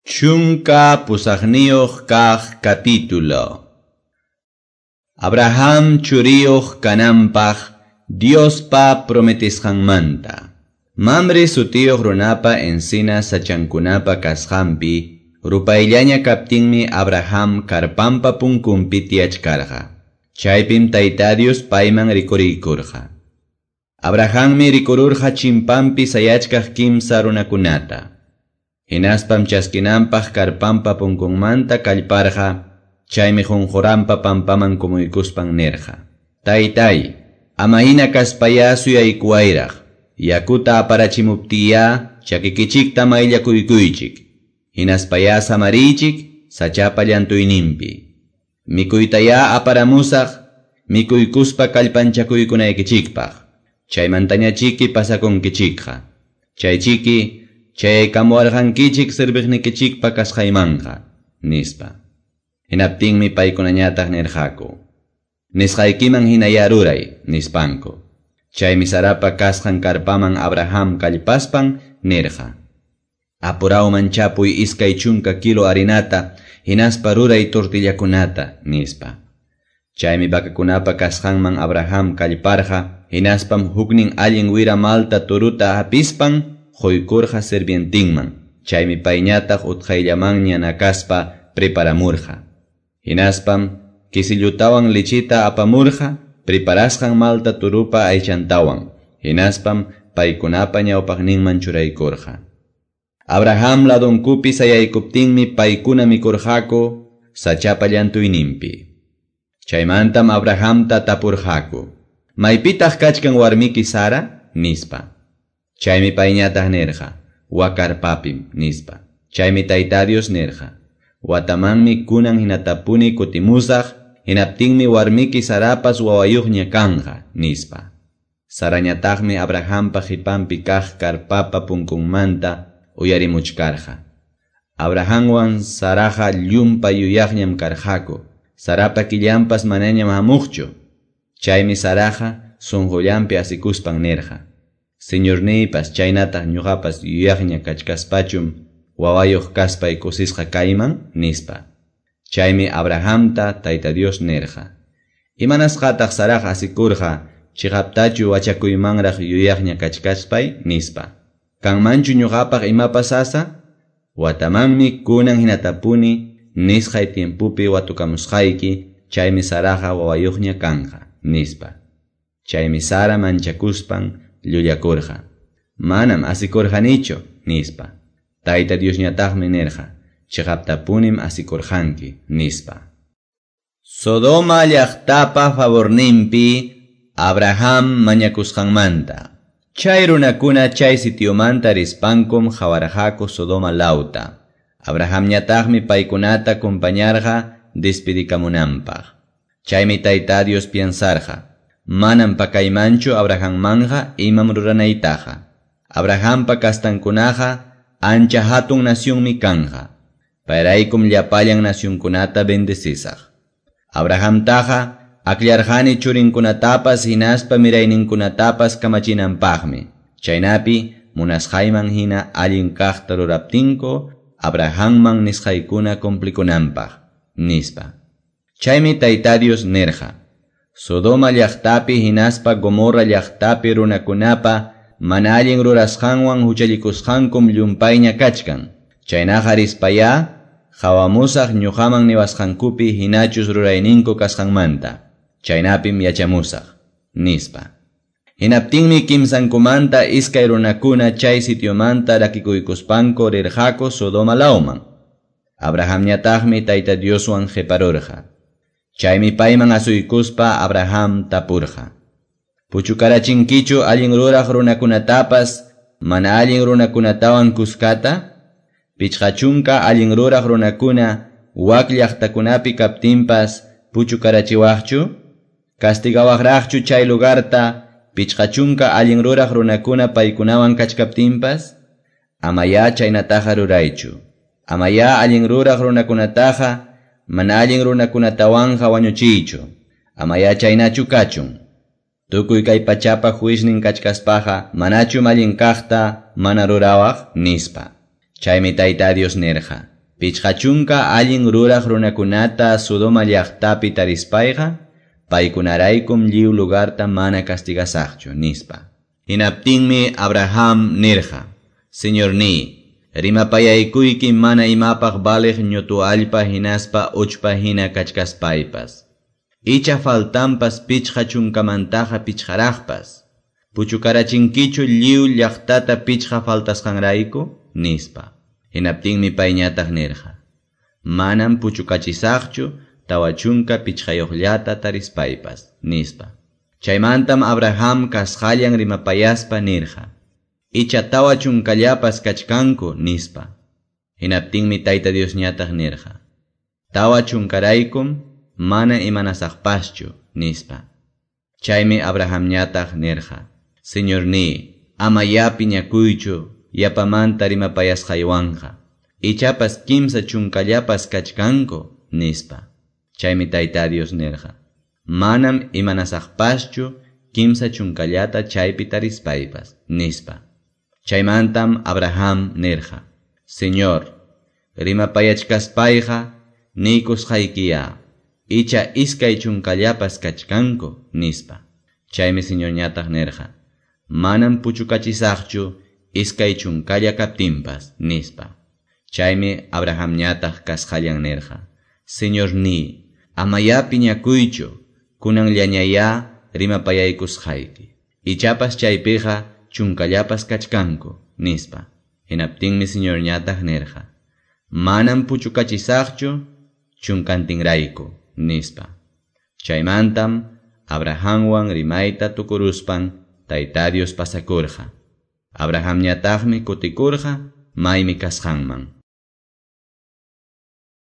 18 kaq capítulo. Abraham churiyuq kananpaq Diospa prometisqanmanta. Mamre sutiyuq runapa encina sachankunapa kasqanpi rupayllaña kaptinmi Abraham karpanpa punkunpi tiyachkarqa. Chaypim Tayta Dios payman rikuriykurqa. Abrahammi rikururqa chimpanpi sayachkaq kimsa runakunata. Hinaspam chaskinanpaq karpanpa punkunmanta kallparqa, chaymi qunquranpa pampaman kumuykuspan nirqa: Taytay, ama hina kaspayá suyaykuwayraq, yakuta aparachimuptiyá chakikichikta mayllakuykuychik, hinaspayá samariychik sachapa llantuyninpi. Mikuytayá aparamusaq, mikuykuspa kallpanchakuykunaykichikpaq, chaymantañachiki pasakunkichikqa. Chaychiki chayaykamuwarqankichik serviqnikichikpa kasqaymanqa, nispa. Hinaptinmi paykunañataq nirqaku: Nisqaykiman hinayá ruray, nispanku. Chaymi Sarapa kasqan karpaman Abraham kallpaspan nirqa: Apurawman chapuy 20 kilo harinata, hinaspa ruray tortillakunata, nispa. Chaymi vacakunapa kasqanman Abraham kallparqa, hinaspam huknin allin wira malta turuta hapispan quykurqa sirvientinman. Chaymi payñataq utqayllamanña nakaspa preparamurqa. Hinaspam kisillutawan lichita apamurqa preparasqan malta turupa aychantawan. Hinaspam paykunapa ñawpaqninman churaykurqa. Abraham ladonkupi sayaykuptinmi paykuna mikurqaku sachapa llantuyninpi. Chaymantam Abrahamta tapurqaku: Maypitaq kachkan warmiki Sara? Nispa. Chaymi payñataq nirqa: Wakarpapim, nispa. Chaymi Tayta Dios nirqa: Watamanmi kunan hinatapuni kutimusaq, hinaptinmi warmiki Sarapas wawayuqña kanqa, nispa. Sarañataqmi Abrahampa qipanpi kaq karpapa punkunmanta uyarimuchkarqa. Abrahamwan Saraqa llumpay yuyaqñam karqaku. Sarapa killanpas manañam hamuqchu. Chaymi Saraqa sunqullanpi asikuspan nirqa: Señorniypas chaynataq ñuqapas yuyaqña kachkaspachum wawayuq kaspay kusisqa kayman, nispa. Chaymi Abrahamta Tayta Dios nirqa: Imanasqataq Saraqa asikurqa chiqaptachu wachakuymanraq yuyaqña kachkaspay, nispa. Kanmanchu ñuqapaq imapas sasa? Watamanmi kunan hinatapuni nisqay tiempupi watukamusqayki, chaymi Saraqa wawayuqña kanqa, nispa. Chaymi Sara manchakuspan llullakurqa: Manam asikurqanichu, nispa. Tayta Diosñataqmi nirqa: Chiqaptapunim asikurqanki, nispa. Sodoma llaqtapa favorninpi Abraham mañakusqanmanta. Chay runakuna chay sitiomanta rispankum qawarqaku Sodoma lawta. Abrahamñataqmi paykunata acompañarqa despedikamunanpaq. Chaymi Tayta Dios piensarqa: Manam pakaymanchu Abrahammanja imam ruranaytaqa. Abrahampa kastankunaqa ancha hatun nacionmi kanja. Payraykum llapallan nacionkunata bendecisaq. Abrahamtaqa aklarqani churinkunatapas hinaspa mirayninkunatapas kamachinanpaqmi. Chaynapi munasqayman hina allin kaqta ruraptinku Abrahamman nisqaykuna cumplikunanpaq, nispa. Chaymi Tayta Dios nirqa: Sodoma llaqtapi hinaspa Gomorra llaqtapi runakunapa mana allin rurasqanwan huchallikusqankum llumpayña kachkan. Chaynaqa rispayá qawamusaq ñuqaman niwasqankupi hinachus rurayninku kasqanmanta. Chaynapim yachamusaq, nispa. Hinaptinmi kimsankumanta iskay runakuna chay sitiomanta rakikuykuspanku rirqaku Sodoma lawman. Abrahamñataqmi Tayta Dioswan qiparurqa. Chaymi payman asuykuspa Abraham tapurqa: Puchukarachinkichu allin ruraq runakunatapas mana allin runakunatawan kuskata? 50 allin ruraq runakuna wak llaqtakunapi kaptinpas puchukarachiwaqchu? Castigawaqraqchu chay lugarta 50 allin ruraq runakuna paykunawan kachkaptinpas? Amayá chaynataqa ruraychu. Amayá allin ruraq runakunataqa mana allin runakunatawanqa wañuchiychu. Amayá chaynachu kachun. Tukuy kay pachapa juiznin kachkaspaqa manachu allin kaqta mana rurawaq, nispa. Chaymi Tayta Dios nirqa: 50 allin ruraq runakunata Sodoma llaqtapi tarispayqa, paykunaraykum lliw lugarta mana castigasaqchu, nispa. Hinaptinmi Abraham nirqa: Señorní, rimapayaykuyki mana imapaq valeq ñutu allpa hinaspa uchpa hina kachkaspaypas. Icha faltanpas 50mantaqa 5raqpas. Puchukarachinkichu lliw llaqtata 5 faltasqanrayku, nispa. Hinaptinmi payñataq nirqa: Manam puchukachisaqchu 45llata tarispaypas, nispa. Chaymantam Abraham kasqallan rimapayaspa nirqa: Icha 40llapas kachkanku, nispa. Hinaptinmi Tayta Diosñataq nirqa: 40raykum mana imanasaqpaschu, nispa. Chaymi Abrahamñataq nirqa: Señorní, amayá piñakuychu yapamanta rimapayasqaywanqa. Ichapas 30llapas kachkanku, nispa. Chaymi Tayta Dios nirqa: Manam imanasaqpaschu 30llata chaypi tarispaypas, nispa. Chaymantam Abraham nirqa: Señor, rimapayachkaspayqa niykusqaykiya, icha 20llapas kachkanku, nispa. Chaymi Señorñataq nirqa: Manam puchukachisaqchu 20lla kaptinpas, nispa. Chaymi Abrahamñataq kasqallan nirqa: Señorní, amayá piñakuychu, kunanllañayá rimapayaykusqayki. Ichapas chaypiqa 10llapas kachkanku, nispa. Hinaptinmi Señorñataq nirqa: Manam puchukachisaqchu 10tinrayku, nispa. Chaymantam Abrahamwan rimayta tukuruspan Tayta Dios pasakurqa. Abrahamñataqmi kutikurqa maymi kasqanman.